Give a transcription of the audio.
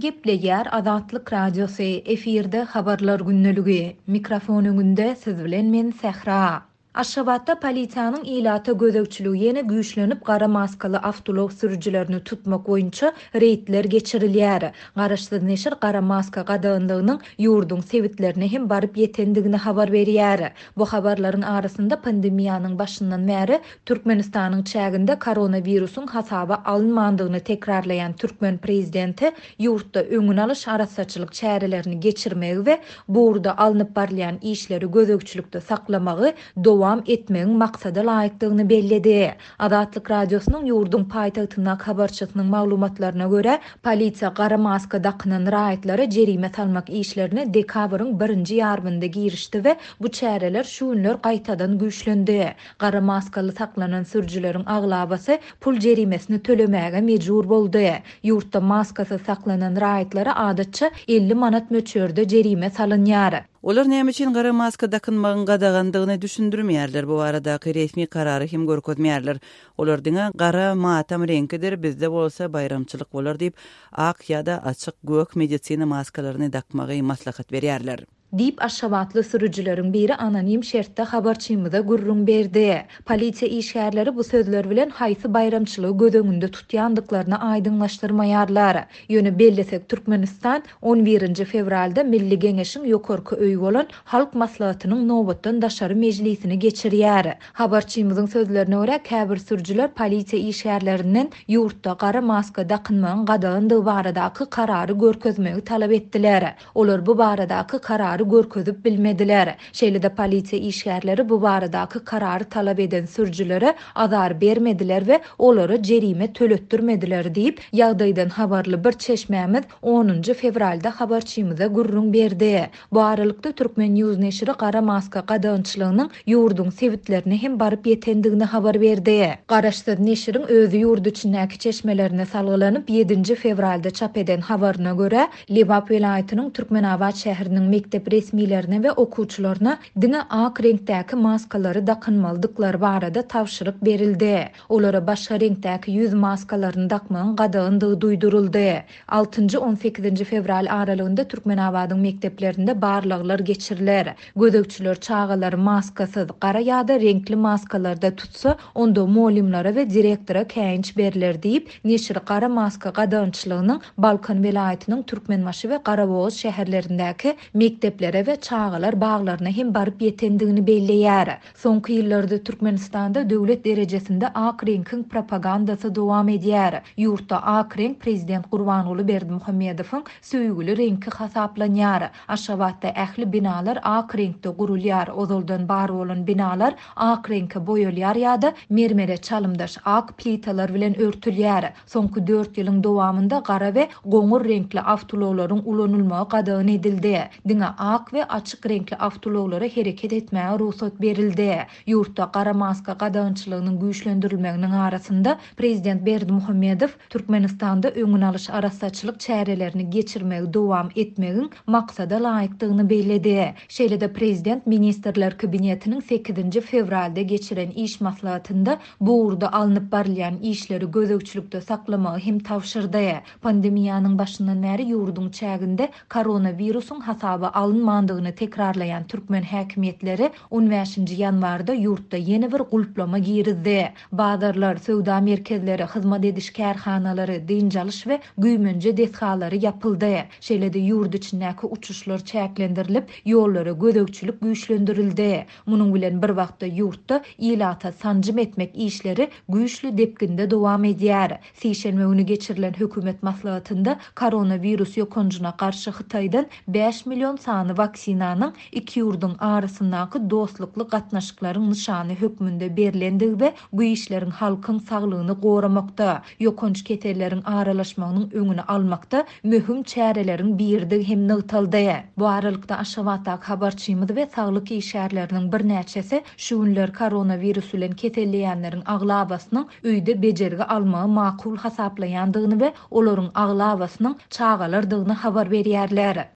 Gepleýär Azatlyk Radiosy, efirde Habarlar gündeligi. Mikrofon öňünde siz bilen men Sähra. Aşgabatda polisiýanyň ilata gözegçiligi ýene güýçlenip, gara maskaly awtoulag sürüjilerini tutmak boýunça reýdler geçirilýär. Garaşsyz neşir gara maska gadaganlygynyň ýurduň sebitlerine hem baryp ýetendigini habar berýär. Bu habarlaryň arasynda pandemiýanyň başyndan bäri Türkmenistanyň çäginde koronawirusyň hasaba alynmandygyny tekrarlaýan türkmen prezidenti ýurtda öňüni alyş arassaçylyk çärelerini geçirmegi we bu ugurda alnyp barylýan işleri gözegçilikde saklamagy dowam etmegiň maksada laýykdygyny belledi. Azatlyk Radiosynyň ýurduň paýtagtyndaky habarçysynyň maglumatlaryna görä, polisiýa gara maska dakynan raýatlara jerime salmak işlerine dekabryň birinji ýarymynda girişdi we bu çäreler şu günler gaýtadan güýçlendi. Gara maskaly saklanan sürüjileriň aglabasy pul jerimesini tölemäge mejbur boldy. Ýurtda maskasyz saklanan raýatlara adatça 50 manat möçberde jerime salynýar. Olar näme üçin gara maska dakynmagyň gadagandygyny düşündirmeýärler, bu baradaky resmi karary hem görkezmeýärler. Olar diňe gara matam reňkidir, bizde bolsa baýramçylyk bolar diýip, ak ýa-da açyk gök medisina maskalaryny dakmagy maslahat berýärler. Diýip, aşgabatly sürüjileriň biri anonim şertde habarçymyza gürrüň berdi. Polisiýa işgärleri bu sözler bilen haýsy baýramçylygy göz öňünde tutýandyklaryny aýdyňlaşdyrmaýarlar. Ýöne bellesek, Türkmenistan on birinji fewralda Milli Geňeşiň ýokarky öýi bolan Halk Maslahatynyň nobatdan daşary mejlisini geçirýär. Habarçymyzyň sözlerine görä, käbir sürüjiler polisiýa işgärlerinden ýurtda gara maska dakynmagyň gadagandygy baradaky karary görkezmegi talap etdiler. Olar bu baradaky karary görkezip bilmediler. Şeýle-de polisiýa işgärleri bu baradaky karary talap eden sürüjilere azar bermediler we olara jerime töletdirmediler diýip, ýagdaýdan habarly bir çeşmämiz onunjy fewralda habarçymyza gürrüň berdi. Bu aralykda, Turkmen. News neşiri gara maska gadagançylygynyň ýurduň sebitlerine hem baryp ýetendigini habar berdi. Garaşsyz neşiriň özi ýurt içindäki çeşmelerine salgylanyp, ýedinji fewralda çap eden habaryna görä, Lebap welaýatynyň Türkmenabat şäheriniň mekdep resmilerine we okuwçylaryna diňe ak reňkdäki maskalary dakynmalydyklary barada tabşyryk berildi. Olara başga reňkdäki ýüz maskalaryny dakmagyň gadagandygy duýduryldy. Altynjy, on sekizinji fewral aralygynda Türkmenabadyň mekdeplerinde barlaglar geçiriler. Gözegçiler çagalary maskasyz, gara ýa-da reňkli maskalarda tutsa, onda mugallymlara we direktora käýinç berler diýip, neşir gara maska gadagançylygynyň Balkan welaýatynyň Türkmenbaşy we Garabogaz şäherlerindäki mekdeplere we çagalar baglaryna hem baryp ýetendigini belleýär. Soňky ýyllarda Türkmenistanda döwlet derejesinde ak reňkiň propagandasy dowam edýär. Ýurtda ak reňk prezident Gurbanguly Berdimuhamedowyň söýgüli reňki hasaplanýar. Aşgabatda ähli binalar ak reňkde gurulýar, ozaldan bar bolan binalar ak reňke boýalýar ýa-da mermere çalymdaş ak plitalar bilen örtülýär. Soňky dört ýylyň dowamynda gara we goňur reňkli awtoulaglaryň ulanylmagy gadagan edildi. Diňe ak we açyk reňkli awtoulaglara hereket etmäge rugsat berildi. Ýurtda gara maska gadagançylygynyň güýçlendirilmeginiň arasynda, prezident Berdimuhamedow Türkmenistanda öňüni alyş arassaçylyk çärelerini geçirmegi dowam etmegiň maksada laýykdygyny belledi. Şeýle-de prezident Ministrler Kabinetiniň sekizinji fewralda geçiren iş maslahatynda bu ugurda alnyp barylýan işleri gözegçilikde saklamagy hem tabşyrdy. Pandemiýanyň başyndan bäri ýurduň çäginde koronawirusyň hasaba alynmandygyny tekrarlaýan türkmen häkimiýetleri on bäşinji ýanwarda ýurtda ýene bir gulplama girizdi. Bazarlar, söwda merkezleri, hyzmat ediş kärhanalary, dynç alyş we güýmenje desgalary ýapyldy. Şeýle-de ýurt içindäki uçuşlar çäklendirilip, ýollara gözegçilik güýçlendirildi. Munuň bilen bir wagtda ýurtda ilata sanjym etmek işleri güýçli depginde dowam edýär. Sişenbe güni geçirilen hökümet maslahatynda koronawirus ýokanjyna garşy Hytaýdan bäş million sany waksinanyň iki ýurduň arasyndaky dostlukly gatnaşyklaryň nyşany hökmünde berlendigi we bu işleriň halkyň saglygyny goramakda, ýokanç keselleriň aralaşmagynyň öňüni almakda möhüm çäreleriň biridigi hem nygtaldy. Bu aralykda, Aşgabatdaky habarçymyz we saglyk işgärleriniň birnäçesi şu günler koronawirus bilen keselleýänleriň aglabasynyň öýde bejergi almagy makul hasaplaýandygyny we olaryň aglabasynyň çagalardygyny habar berýärler.